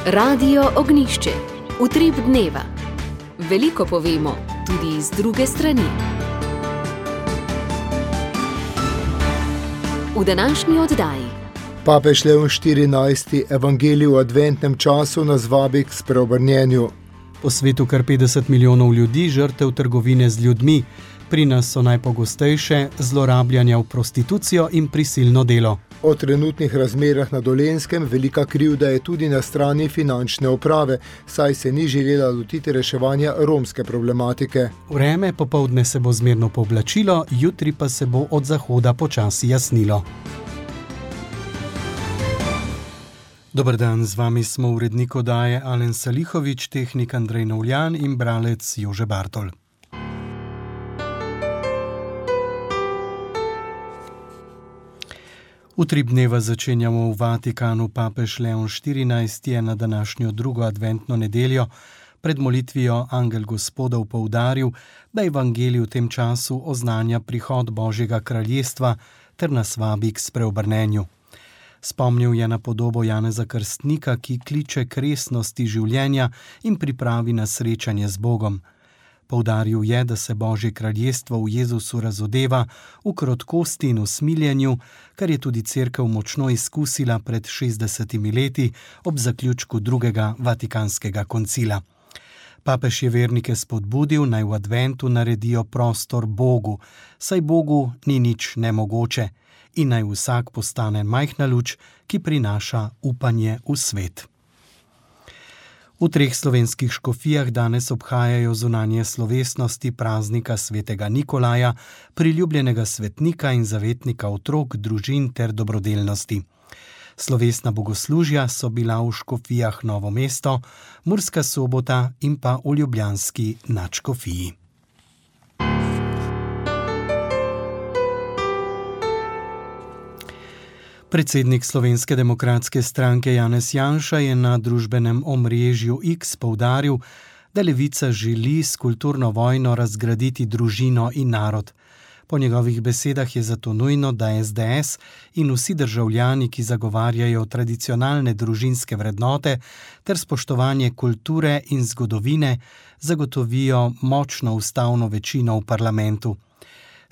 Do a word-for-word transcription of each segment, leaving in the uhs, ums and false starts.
Radio Ognjišče. Utrip dneva. Veliko povemo, tudi iz druge strani. V današnji oddaji. Papež Leon štirinajsti evangelij v adventnem času nas vabi k spreobrnjenju. Po svetu kar petdeset milijonov ljudi žrtev trgovine z ljudmi. Pri nas so najpogostejše zlorabljanja v prostitucijo in prisilno delo. O trenutnih razmerah na Dolenjskem velika krivda je tudi na strani finančne uprave, saj se ni želela lotiti reševanja romske problematike. Vreme popoldne se bo zmerno pooblačilo, jutri pa se bo od zahoda počasi jasnilo. Dober dan, z vami smo urednik oddaje Alen Salihovič, tehnik Andrej Novljan in bralec Jože Bartol. Utrip dneva začenjamo v Vatikanu. Papež Leon štirinajsti je na današnjo drugo adventno nedeljo pred molitvijo Angel Gospodov poudaril, da evangelij v tem času oznanja prihod Božjega kraljestva ter nas vabi k spreobrnenju. Spomnil je na podobo Janeza Krstnika, ki kliče k resnosti življenja in pripravi na srečanje z Bogom. Poudaril je, da se Božje kraljestvo v Jezusu razodeva v krotkosti in usmiljenju, kar je tudi cerkev močno izkusila pred šestdesetimi leti ob zaključku drugega Vatikanskega koncila. Papež je vernike spodbudil, naj v adventu naredijo prostor Bogu, saj Bogu ni nič nemogoče, in naj vsak postane majhna luč, ki prinaša upanje v svet. V treh slovenskih škofijah danes obhajajo zunanje slovesnosti praznika svetega Nikolaja, priljubljenega svetnika in zavetnika otrok, družin ter dobrodelnosti. Slovesna bogoslužja so bila v škofijah Novo mesto, Murska Sobota in pa v ljubljanski nadškofiji. Predsednik Slovenske demokratske stranke Janez Janša je na družbenem omrežju X poudaril, da Levica želi s kulturno vojno razgraditi družino in narod. Po njegovih besedah je zato nujno, da es de es in vsi državljani, ki zagovarjajo tradicionalne družinske vrednote ter spoštovanje kulture in zgodovine, zagotovijo močno ustavno večino v parlamentu.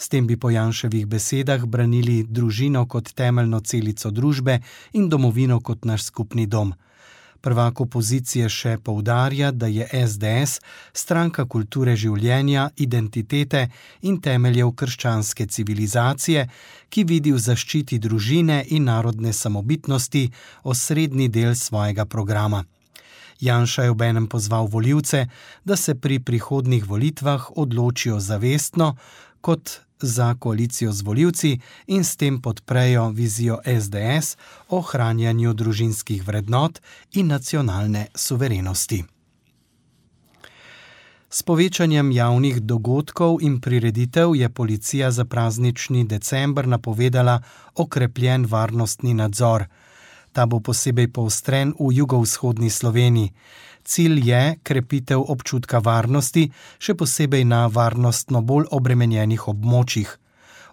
S tem bi po Janševih besedah branili družino kot temeljno celico družbe in domovino kot naš skupni dom. Prvak opozicije še poudarja, da je es de es stranka kulture življenja, identitete in temeljev krščanske civilizacije, ki vidi v zaščiti družine in narodne samobitnosti osrednji del svojega programa. Janša je obenem pozval volivce, da se pri prihodnjih volitvah odločijo zavestno kot za koalicijo z volivci in s tem podprejo vizijo es de es o ohranjanju družinskih vrednot in nacionalne suverenosti. S povečanjem javnih dogodkov in prireditev je policija za praznični december napovedala okrepljen varnostni nadzor. Ta bo posebej poostren v jugovzhodni Sloveniji. Cilj je krepitev občutka varnosti, še posebej na varnostno bolj obremenjenih območjih.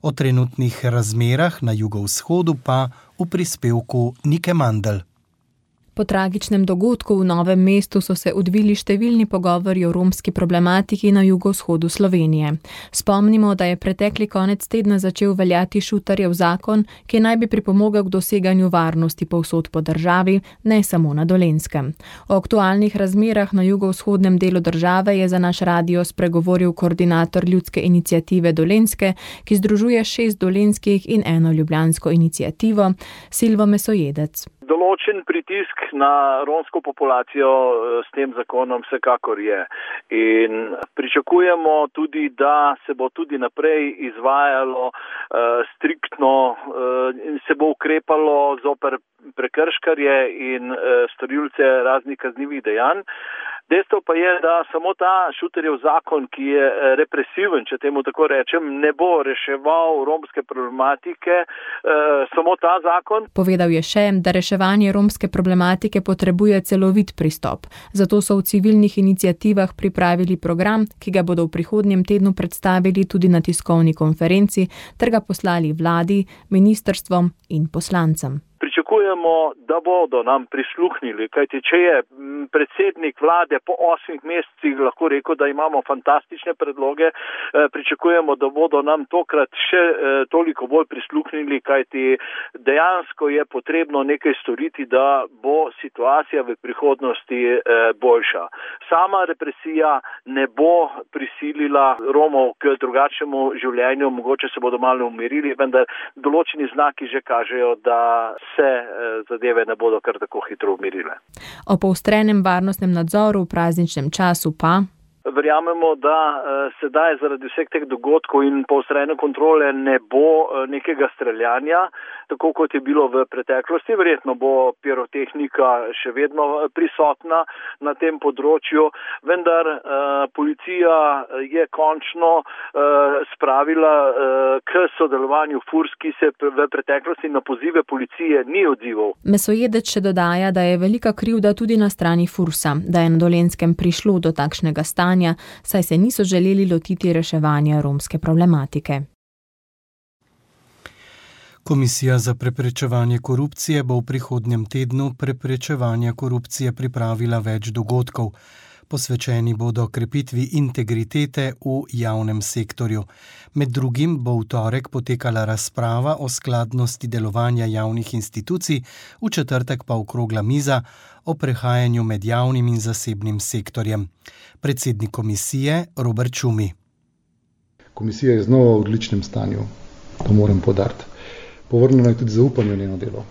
O trenutnih razmerah na jugovzhodu pa v prispevku Nike Mandl. Po tragičnem dogodku v Novem mestu so se odvili številni pogovori o romski problematiki na jugovzhodu Slovenije. Spomnimo, da je pretekli konec tedna začel veljati Šutarjev zakon, ki naj bi pripomogel k doseganju varnosti povsod po državi, ne samo na Dolenjskem. O aktualnih razmerah na jugovzhodnem delu države je za naš radio spregovoril koordinator ljudske iniciative Dolenjske, ki združuje šest dolenjskih in eno ljubljansko iniciativo, Silvo Mesojedec. Določen pritisk na romsko populacijo s tem zakonom vsekakor je. In pričakujemo tudi, da se bo tudi naprej izvajalo uh, striktno in uh, se bo ukrepalo zoper prekrškarje in uh, storilce raznih kaznivih dejanj. Dejstvo pa je, da samo ta Šutarjev zakon, ki je represiven, če temu tako rečem, ne bo reševal romske problematike, eh, samo ta zakon. Povedal je še, da reševanje romske problematike potrebuje celovit pristop. Zato so v civilnih iniciativah pripravili program, ki ga bodo v prihodnjem tednu predstavili tudi na tiskovni konferenci, ter ga poslali vladi, ministrstvom in poslancem. Pričakujemo pričakujemo, da bodo nam prisluhnili, kajti če je predsednik vlade po osmih mesecih lahko rekel, da imamo fantastične predloge, pričakujemo, da bodo nam tokrat še toliko bolj prisluhnili, kajti dejansko je potrebno nekaj storiti, da bo situacija v prihodnosti boljša. Sama represija ne bo prisilila Romov k drugačnemu življenju, mogoče se bodo malo umirili, vendar določeni znaki že kažejo, da se zadeve ne bodo kar tako hitro umirile. O poostrenem varnostnem nadzoru v prazničnem času pa? Verjamemo, da sedaj zaradi vseh teh dogodkov in poostrene kontrole ne bo nekega streljanja, tako kot je bilo v preteklosti. Verjetno bo pirotehnika še vedno prisotna na tem področju, vendar policija je končno spravila k sodelovanju FURS, ki se v preteklosti na pozive policije ni odzival. Mesojedec še dodaja, da je velika krivda tudi na strani FURS-a, da je na Dolenjskem prišlo do takšnega stanja, saj se niso želeli lotiti reševanja romske problematike. Komisija za preprečevanje korupcije bo v prihodnjem tednu preprečevanja korupcije pripravila več dogodkov. Posvečeni bodo krepitvi integritete v javnem sektorju. Med drugim bo v torek potekala razprava o skladnosti delovanja javnih institucij, v četrtek pa okrogla miza o prehajanju med javnim in zasebnim sektorjem. Predsednik komisije Robert Šumi. Komisija je znova v odličnem stanju, to moram poudariti. Povrnjeno je tudi zaupanje v njeno delo.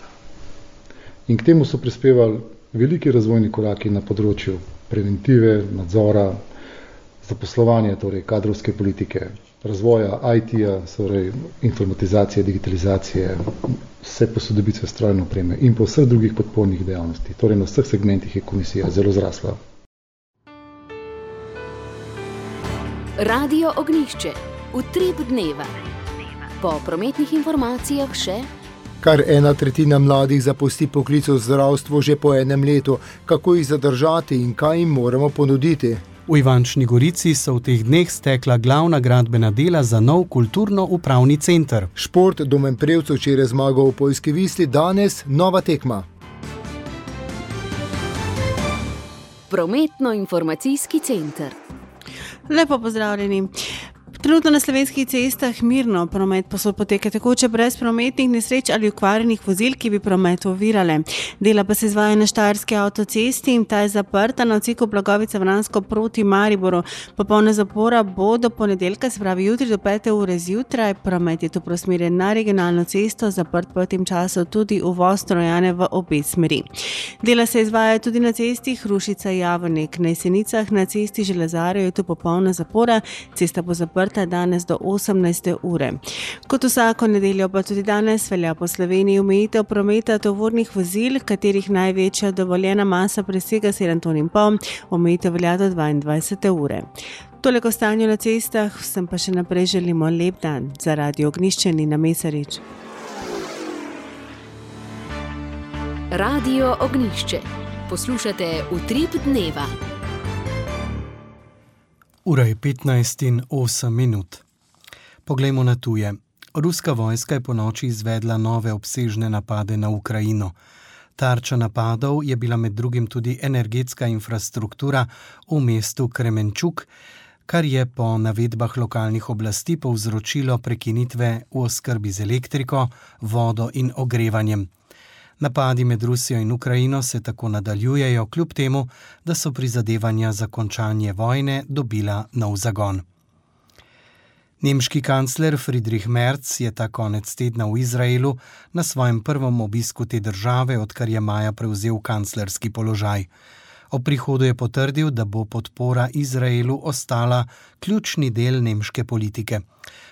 In k temu so prispevali veliki razvojni koraki na področju preventive, nadzora, zaposlovanja, torej kadrovske politike, razvoja I T-ja, torej informatizacije, digitalizacije, vse posodobitve strojne opreme in po vseh drugih podpornih dejavnosti. Torej na vseh segmentih je komisija zelo zrasla. Radio Ognjišče. Utrip dneva. Po prometnih informacijah še... Kar ena tretjina mladih zapusti poklic v zdravstvu že po enem letu. Kako jih zadržati in kaj jim moramo ponuditi? V Ivančni Gorici so v teh dneh stekla glavna gradbena dela za nov kulturno-upravni center. Šport Domen Prevcu včeraj zmagal v Poljski Visli, danes nova tekma. Prometno-informacijski center. Lepo pozdravljeni. Trenutno na slovenskih cestah mirno promet poteka tekoče brez prometnih nesreč ali okvarjenih vozil, ki bi promet ovirale. Dela pa se izvaja na Štajerski avtocesti in ta je zaprta na odseku Blagovica-Vransko proti Mariboru. Popolna zapora bo do ponedeljka, se pravi jutri do pete ure zjutraj. Promet je tu prosmerjen na regionalno cesto, zaprt pa v tem času tudi uvoz Trojane v obe smeri. Dela se izvaja tudi na cesti Hrušica-Javornik. Na Jesenicah na cesti Železarjev je tu popolna zapora, cesta bo zaprta danes do osemnajste ure. Kot vsako nedeljo pa tudi danes velja po Sloveniji omejitev prometa tovornih vozil, katerih največja dovoljena masa presega sedem ton in pol, omejitev velja do dvaindvajsete ure. Toliko stanju na cestah, vsem pa še naprej želimo lep dan. Za Radio Ognjišče Nina Mesarič. Radio Ognjišče. Poslušate Utrip dneva. Ura je petnajst in osem minut. Poglejmo na tuje. Ruska vojska je ponoči izvedla nove obsežne napade na Ukrajino. Tarča napadov je bila med drugim tudi energetska infrastruktura v mestu Kremenčuk, kar je po navedbah lokalnih oblasti povzročilo prekinitve v oskrbi z elektriko, vodo in ogrevanjem. Napadi med Rusijo in Ukrajino se tako nadaljujejo, kljub temu, da so prizadevanja za končanje vojne dobila nov zagon. Nemški kancler Friedrich Merz je ta konec tedna v Izraelu na svojem prvem obisku te države, odkar je maja prevzel kanclerski položaj. Ob prihodu je potrdil, da bo podpora Izraelu ostala ključni del nemške politike.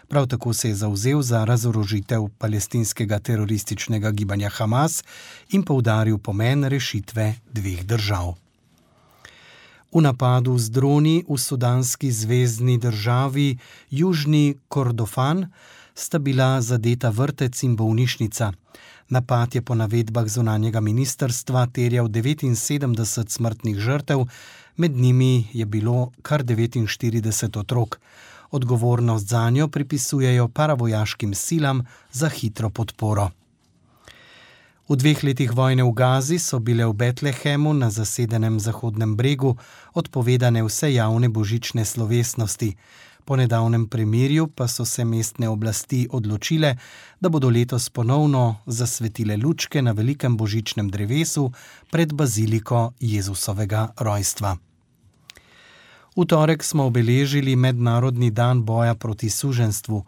Prav tako se je zavzel za razorožitev palestinskega terorističnega gibanja Hamas in poudaril pomen rešitve dveh držav. V napadu z droni v sudanski zvezni državi Južni Kordofan sta bila zadeta vrtec in bolnišnica. Napad je po navedbah zunanjega ministrstva terjal devetinsedemdeset smrtnih žrtev, med njimi je bilo kar devetinštirideset otrok. Odgovornost zanjo pripisujejo paravojaškim silam za hitro podporo. V dveh letih vojne v Gazi so bile v Betlehemu na zasedenem Zahodnem bregu odpovedane vse javne božične slovesnosti. Po nedavnem premirju pa so se mestne oblasti odločile, da bodo letos ponovno zasvetile lučke na velikem božičnem drevesu pred baziliko Jezusovega rojstva. V torek smo obeležili Mednarodni dan boja proti suženjstvu.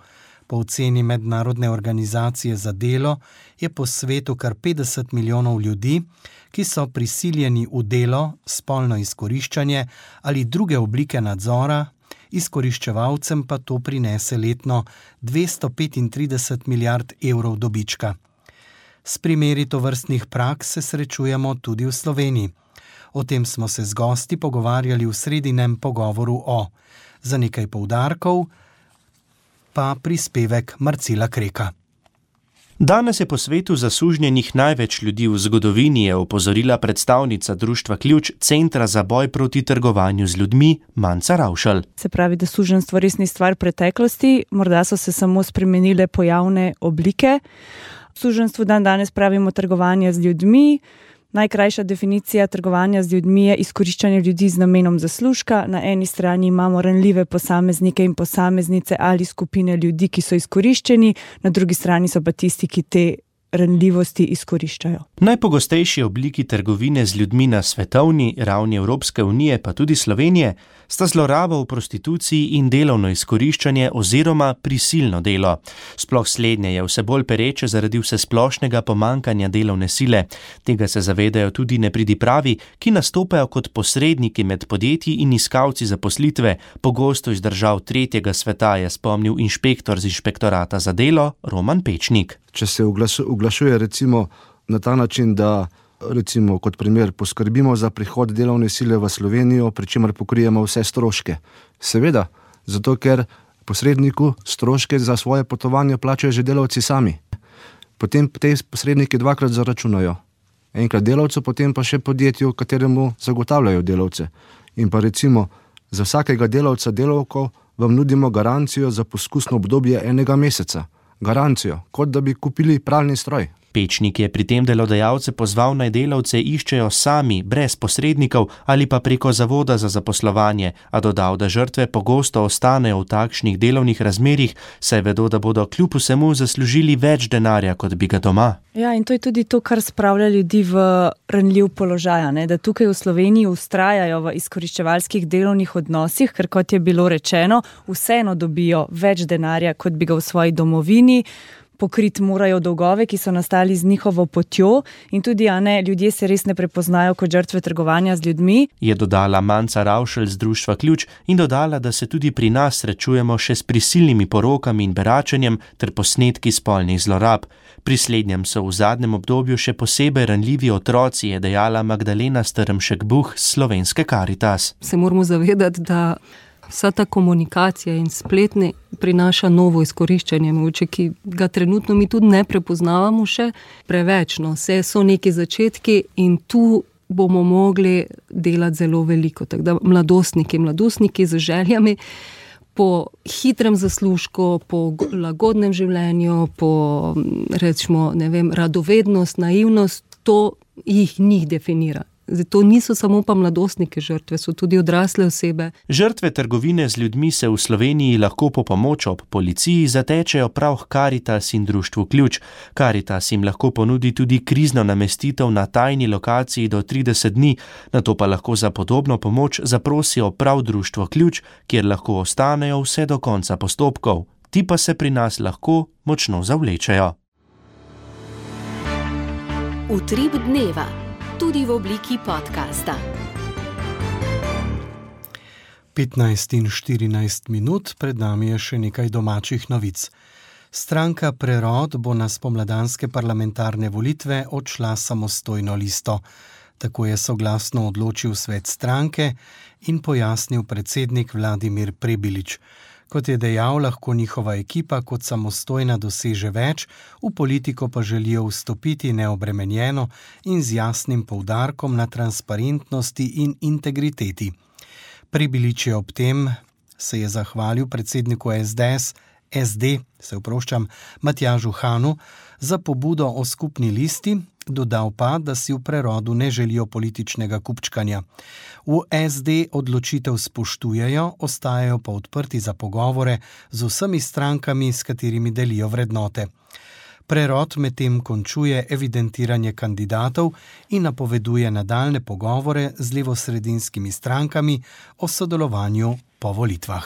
Po oceni Mednarodne organizacije za delo je po svetu kar petdeset milijonov ljudi, ki so prisiljeni v delo, spolno izkoriščanje ali druge oblike nadzora, izkoriščevalcem pa to prinese letno dvesto petintrideset milijard evrov dobička. S primeri tovrstnih praks se srečujemo tudi v Sloveniji. O tem smo se z gosti pogovarjali v sredinem pogovoru o za nekaj poudarkov, pa prispevek Marcela Kreka. Danes je po svetu zasužnjenih največ ljudi v zgodovini, je opozorila predstavnica Društva Ključ Centra za boj proti trgovanju z ljudmi Manca Ravšal. Se pravi, da suženjstvo res ni stvar preteklosti, morda so se samo spremenile pojavne oblike. Suženjstvu dan danes pravimo trgovanje z ljudmi. Najkrajša definicija trgovanja z ljudmi je izkoriščanje ljudi z namenom zaslužka. Na eni strani imamo ranljive posameznike in posameznice ali skupine ljudi, ki so izkoriščeni, na drugi strani so pa tisti, ki te ranljivosti izkoriščajo. Najpogostejši obliki trgovine z ljudmi na svetovni ravni Evropske unije, pa tudi Slovenije, sta zloraba v prostituciji in delovno izkoriščanje oziroma prisilno delo. Sploh slednje je vse bolj pereče zaradi vsesplošnega pomankanja delovne sile. Tega se zavedajo tudi nepridipravi, ki nastopajo kot posredniki med podjetji in iskalci zaposlitve, pogosto iz držav tretjega sveta, je spomnil inšpektor z inšpektorata za delo Roman Pečnik. Če se oglašuje recimo na ta način, da recimo kot primer poskrbimo za prihod delovne sile v Slovenijo, pri čemer pokrijemo vse stroške. Seveda, zato ker posredniku stroške za svoje potovanje plačajo že delavci sami. Potem te posredniki dvakrat zaračunajo. Enkrat delavcu, potem pa še podjetju, kateremu zagotavljajo delavce. In pa recimo za vsakega delavca delavko vam nudimo garancijo za poskusno obdobje enega meseca. Garancijo, kot da bi kupili pralni stroj. Pečnik je pri tem delodajalce pozval, naj delavce iščejo sami, brez posrednikov ali pa preko zavoda za zaposlovanje, a dodal, da žrtve pogosto ostanejo v takšnih delovnih razmerih, saj vedo, da bodo kljub vsemu zaslužili več denarja, kot bi ga doma. Ja, in to je tudi to, kar spravlja ljudi v ranljiv položaj, ne? Da tukaj v Sloveniji ustrajajo v izkoriščevalskih delovnih odnosih, ker kot je bilo rečeno, vseeno dobijo več denarja, kot bi ga v svoji domovini. Pokriti morajo dolgove, ki so nastali z njihovo potjo, in tudi, a ne, ljudje se res ne prepoznajo kot žrtve trgovanja z ljudmi. Je dodala Manca Ravšal z Društva Ključ in dodala, da se tudi pri nas srečujemo še s prisilnimi porokami in beračenjem ter posnetki spolnih zlorab. Pri slednjem so v zadnjem obdobju še posebej ranljivi otroci, je dejala Magdalena Strmšek-Buh z Slovenske Karitas. Se moramo zavedati, da vsa ta komunikacija in spletne prinaša novo izkoriščanje, mogoče, ki ga trenutno mi tudi ne prepoznavamo še preveč. No. Vse so neki začetki in tu bomo mogli delati zelo veliko. Tako da mladostniki, mladostniki z željami po hitrem zaslužku, po lagodnem življenju, po rečemo, ne vem, radovednost, naivnost, to jih njih definira. Zato niso samo pa mladostnike žrtve, so tudi odrasle osebe. Žrtve trgovine z ljudmi se v Sloveniji lahko po pomoč ob policiji zatečejo prav k Karitas in Društvu Ključ. Karitas jim lahko ponudi tudi krizno namestitev na tajni lokaciji do trideset dni, nato pa lahko za podobno pomoč zaprosijo prav Društvo Ključ, kjer lahko ostanejo vse do konca postopkov. Ti pa se pri nas lahko močno zavlečejo. Utrip dneva. Tudi v obliki podcasta. petnajst in štirinajst minut, pred nami je še nekaj domačih novic. Stranka Prerod bo na spomladanske parlamentarne volitve odšla samostojno listo. Tako je soglasno odločil svet stranke in pojasnil predsednik Vladimir Prebilič. Kot je dejal, lahko njihova ekipa kot samostojna doseže več, v politiko pa želijo vstopiti neobremenjeno in z jasnim poudarkom na transparentnosti in integriteti. Prebilič je ob tem se je zahvalil predsedniku S D S, S D, se oproščam, Matjažu Hanu, za pobudo o skupni listi dodal pa, da si v prerodu ne želijo političnega kupčkanja. V es de odločitev spoštujejo, ostajajo pa odprti za pogovore z vsemi strankami, s katerimi delijo vrednote. Prerod medtem končuje evidentiranje kandidatov in napoveduje nadaljne pogovore z levosredinskimi strankami o sodelovanju po volitvah.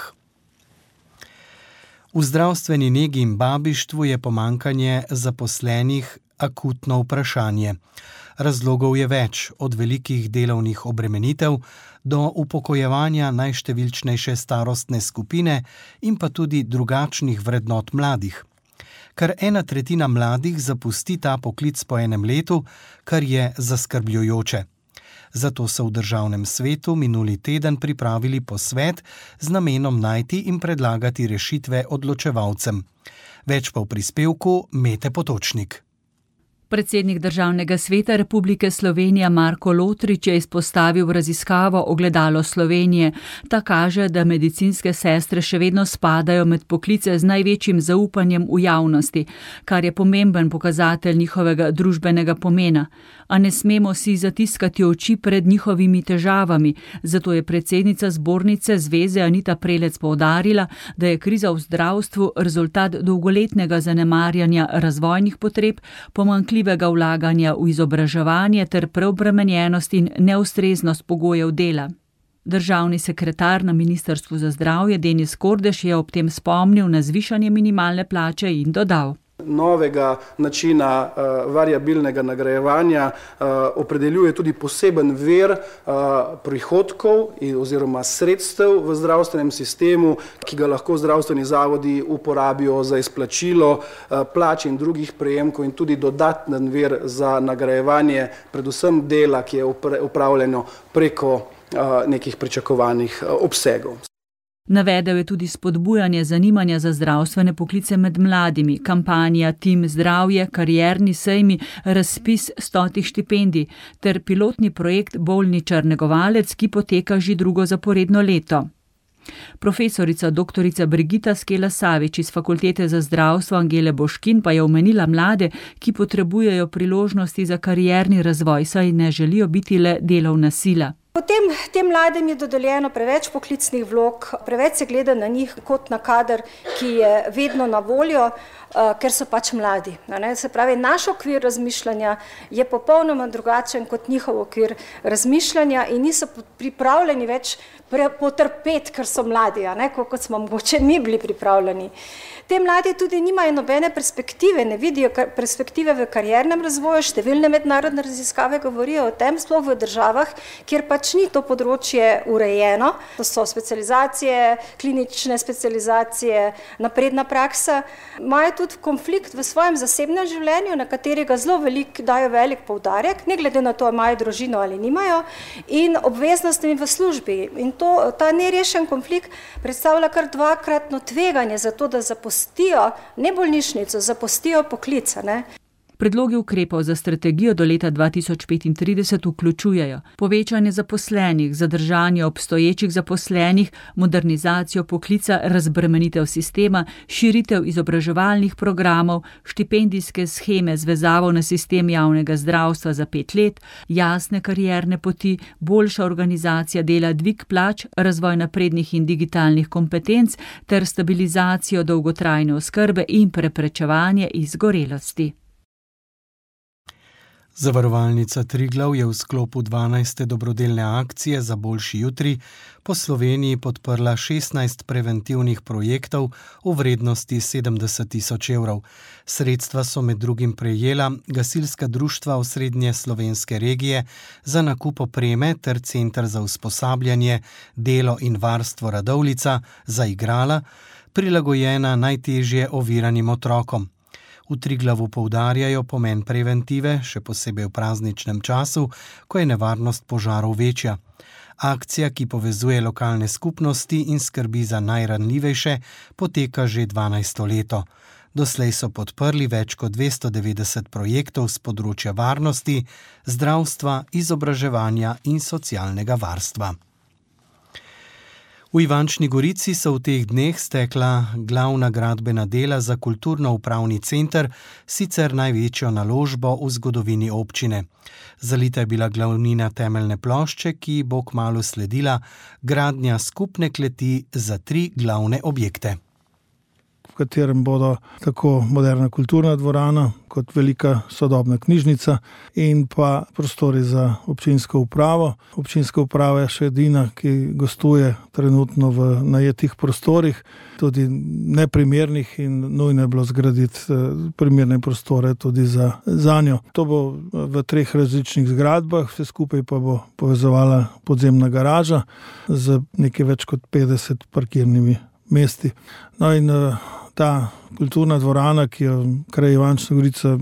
V zdravstveni negi in babištvu je pomanjkanje zaposlenih akutno vprašanje. Razlogov je več, od velikih delovnih obremenitev do upokojevanja najštevilčnejše starostne skupine in pa tudi drugačnih vrednot mladih. Kar ena tretjina mladih zapusti ta poklic po enem letu, kar je zaskrbljujoče. Zato so v državnem svetu minuli teden pripravili posvet z namenom najti in predlagati rešitve odločevalcem. Več pa v prispevku Mete Potočnik. Predsednik Državnega sveta Republike Slovenije Marko Lotrič je izpostavil raziskavo Ogledalo Slovenije. Ta kaže, da medicinske sestre še vedno spadajo med poklice z največjim zaupanjem v javnosti, kar je pomemben pokazatelj njihovega družbenega pomena. A ne smemo si zatiskati oči pred njihovimi težavami, zato je predsednica zbornice Zveze Anita Prelec poudarila, da je kriza v zdravstvu rezultat dolgoletnega zanemarjanja razvojnih potreb, pomanjkljivega vlaganja v izobraževanje ter preobremenjenost in neustreznost pogojev dela. Državni sekretar na Ministrstvu za zdravje Denis Kordež je ob tem spomnil na zvišanje minimalne plače in dodal: Novega načina uh, variabilnega nagrajevanja uh, opredeljuje tudi poseben vir uh, prihodkov in, oziroma sredstev v zdravstvenem sistemu, ki ga lahko zdravstveni zavodi uporabijo za izplačilo uh, plač in drugih prejemkov in tudi dodaten vir za nagrajevanje predvsem dela, ki je upravljeno preko uh, nekih pričakovanih uh, obsegov. Navedel je tudi spodbujanje zanimanja za zdravstvene poklice med mladimi, kampanja Tim zdravje, karierni sejmi, razpis stotih štipendij ter pilotni projekt Bolničar negovalec, ki poteka že drugo zaporedno leto. Profesorica doktorica Brigita Skela Savič iz Fakultete za zdravstvo Angele Boškin pa je omenila mlade, ki potrebujejo priložnosti za karierni razvoj, saj ne želijo biti le delovna sila. Potem tem mladim je dodeljeno preveč poklicnih vlog, preveč se gleda na njih kot na kader, ki je vedno na voljo, ker so pač mladi. Se pravi, naš okvir razmišljanja je popolnoma drugačen kot njihov okvir razmišljanja in niso pripravljeni več potrpeti, ker so mladi, kot smo mogoče mi bili pripravljeni. Te mladi tudi nimajo nobene perspektive, ne vidijo perspektive v kariernem razvoju, številne mednarodne raziskave govorijo o tem, sploh v državah, kjer pač ni to področje urejeno. To so specializacije, klinične specializacije, napredna praksa. Imajo tudi konflikt v svojem zasebnem življenju, na katerega zelo velik, dajo velik poudarek, ne glede na to, imajo družino ali nimajo, in obveznostmi v službi. In to, ta nerešen konflikt predstavlja kar dvakratno tveganje za to, da zapustijo ne bolnišnico, zapustijo poklica, ne. Predlogi ukrepov za strategijo do leta dva tisoč petintrideset vključujejo povečanje zaposlenih, zadržanje obstoječih zaposlenih, modernizacijo poklica, razbremenitev sistema, širitev izobraževalnih programov, štipendijske sheme z vezavo na sistem javnega zdravstva za pet let, jasne karierne poti, boljša organizacija dela, dvig plač, razvoj naprednih in digitalnih kompetenc ter stabilizacijo dolgotrajne oskrbe in preprečevanje izgorelosti. Zavarovalnica Triglav je v sklopu dvanajste dobrodelne akcije za boljši jutri po Sloveniji podprla šestnajst preventivnih projektov v vrednosti sedemdeset tisoč evrov. Sredstva so med drugim prejela gasilska društva osrednje slovenske regije za nakup opreme ter Center za usposabljanje, delo in varstvo Radovljica za igrala, prilagojena najtežje oviranim otrokom. V Triglavu poudarjajo pomen preventive, še posebej v prazničnem času, ko je nevarnost požarov večja. Akcija, ki povezuje lokalne skupnosti in skrbi za najranljivejše, poteka že dvanajsto leto. Doslej so podprli več kot dvesto devetdeset projektov z področja varnosti, zdravstva, izobraževanja in socialnega varstva. V Ivančni Gorici so v teh dneh stekla glavna gradbena dela za kulturno-upravni center, sicer največjo naložbo v zgodovini občine. Zalita je bila glavnina temeljne plošče, ki bo kmalu sledila gradnja skupne kleti za tri glavne objekte, v katerem bodo tako moderna kulturna dvorana kot velika sodobna knjižnica in pa prostori za občinsko upravo. Občinska uprava je še edina, ki gostuje trenutno v najetih prostorih, tudi neprimernih, in nujno je bilo zgraditi primerne prostore tudi za zanjo. To bo v treh različnih zgradbah, vse skupaj pa bo povezovala podzemna garaža z nekaj več kot petdeset parkirnimi mesti. No in ta kulturna dvorana, ki jo kraj Ivančna Gorica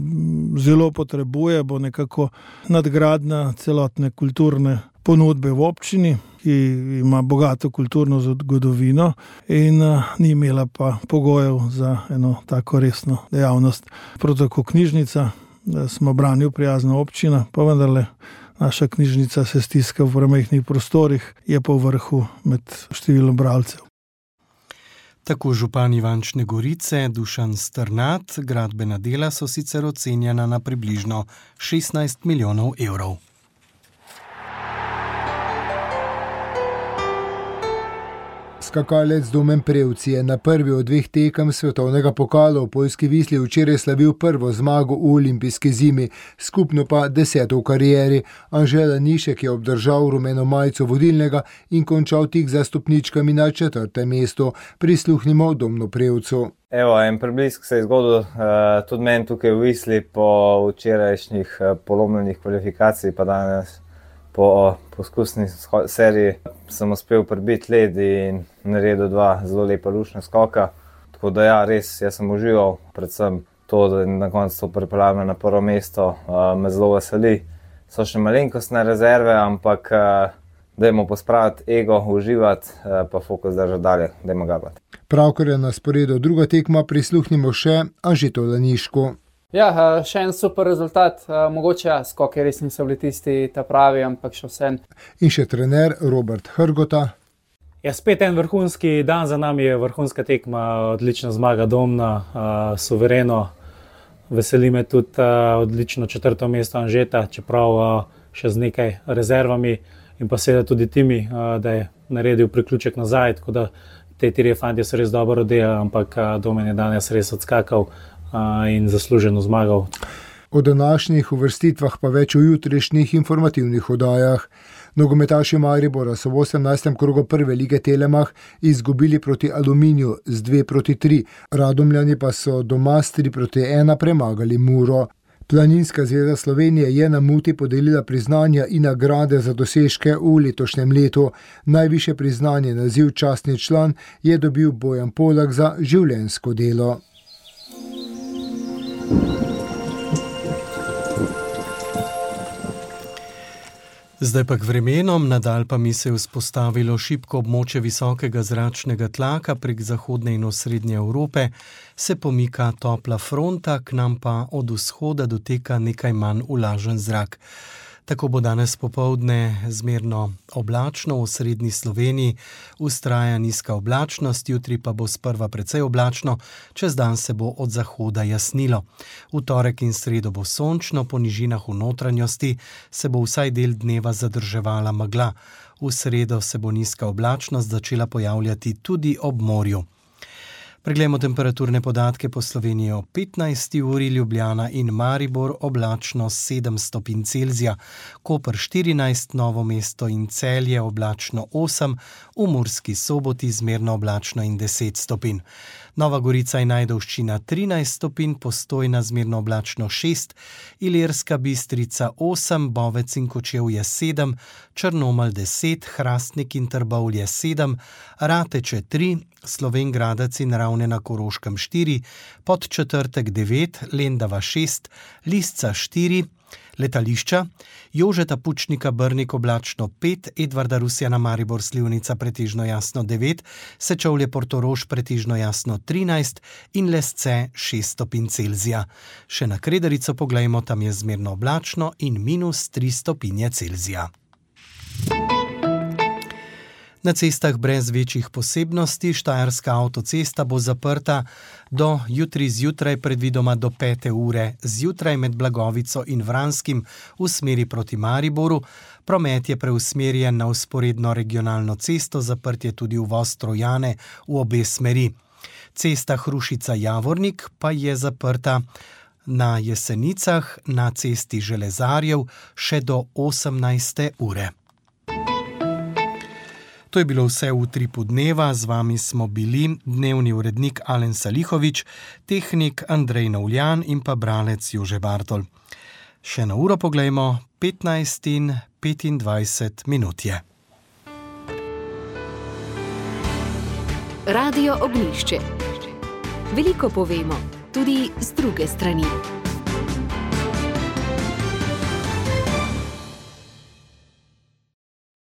zelo potrebuje, bo nekako nadgradnja celotne kulturne ponudbe v občini, ki ima bogato kulturno zgodovino in ni imela pa pogojev za eno tako resno dejavnost. Prav tako knjižnica, smo branju prijazna občina, pa vendarle naša knjižnica se stiska v premajhnih prostorih, je pa v vrhu med številom bralcev. Tako župan Ivančne Gorice Dušan Strnad, gradbena dela so sicer ocenjena na približno šestnajst milijonov evrov. Skakalec Domen Prevc je na prvi od dveh tekem svetovnega pokala v Poljski Visli včeraj slavil prvo zmago v olimpijski zimi, skupno pa deseto v karieri. Anže Lanišek je obdržal rumeno majico vodilnega in končal tik za stopničkami na četrtem mestu. Prisluhnimo Domnu Prevcu. Evo, en preblisk se je zgodil uh, tudi meni tukaj v Visli po včerajšnjih uh, polomljenih kvalifikacij, pa danes po poskusni seriji sem uspel prebiti led in naredil dva zelo lepa lušna skoka. Tako da ja, res, jaz sem užival, predvsem to, da na koncu pripeljal na prvo mesto, uh, me zelo veseli. So še malenkostne rezerve, ampak uh, dajmo pospraviti ego, uživati, uh, pa fokus držati dalje, dajmo gabati. Pravkar je na sporedu druga tekma, prisluhnimo še Anžetu Lanišku. Ja, še en super rezultat, mogoče ja, skoki res niso bili tisti ta pravi, ampak še vse. In še trener Robert Hrgota. Ja, spet en vrhunski dan za nami, je vrhunska tekma, odlična zmaga Domna, suvereno. Veseli me tudi odlično četrto mesto Anžeta, čeprav še z nekaj rezervami, in pa seveda tudi Timi, da je naredil priključek nazaj, tako da te trije fantje so res dobro oddelali, ampak Domen je danes res odskakal in zasluženo zmagal. O današnjih uvrstitvah pa več v jutrišnjih informativnih oddajah. Nogometaši Maribora so v osemnajstem krogu prve lige Telemach izgubili proti Aluminiju z dve proti tri. Radomljani pa so doma s tri proti ena premagali Muro. Planinska zveza Slovenije je na Muti podelila priznanja in nagrade za dosežke v letošnjem letu. Najvišje priznanje, naziv častni član, je dobil Bojan Polak za življenjsko delo. Zdaj pa k vremenom, nadalj pa mi se je vzpostavilo šibko območje visokega zračnega tlaka prek zahodne in osrednje Evrope, se pomika topla fronta, k nam pa od vzhoda doteka nekaj manj vlažen zrak. Tako bo danes popoldne zmerno oblačno, v osrednji Sloveniji vztraja nizka oblačnost, jutri pa bo sprva precej oblačno, čez dan se bo od zahoda jasnilo. V torek in sredo bo sončno, po nižinah v notranjosti se bo vsaj del dneva zadrževala megla. V sredo se bo nizka oblačnost začela pojavljati tudi ob morju. Preglejmo temperaturne podatke po Sloveniji o petnajsti uri, Ljubljana in Maribor oblačno sedem stopinj Celzija, Koper štirinajst, Novo mesto in Celje oblačno osem, v Murski Soboti zmerno oblačno in deset stopinj. Nova Gorica in Ajdovščina trinajst stopinj, Postojna zmerno oblačno šest, Ilirska Bistrica osem, Bovec in Kočevje sedem, Črnomelj deset, Hrastnik in Trbovlje sedem, Rateče tri, Slovenj Gradec in Ravne na Koroškem štiri, Podčetrtek devet, Lendava šest, Lisca štiri, letališča, Jožeta Pučnika Brnik oblačno pet, Edvarda Rusjana Maribor Slivnica pretežno jasno devet, Sečovlje Portorož pretežno jasno trinajst in Lesce šest stopinj Celzija. Še na Kredarico poglejmo, tam je zmerno oblačno in minus tri stopinje Celzija. Na cestah brez večjih posebnosti Štajerska avtocesta bo zaprta do jutri zjutraj, predvidoma do pete ure zjutraj med Blagovico in Vranskim v smeri proti Mariboru. Promet je preusmerjen na vzporedno regionalno cesto, zaprt je tudi uvoz Trojane v obe smeri. Cesta Hrušica-Javornik pa je zaprta na Jesenicah na cesti Železarjev še do osemnajste ure. To je bilo vse v Utripu dneva, z vami smo bili dnevni urednik Alen Salihovič, tehnik Andrej Navljan in pa bralec Jože Bartol. Še na uro poglejmo, petnajst in petindvajset minut je. Radio Ognjišče. Veliko povemo, tudi z druge strani.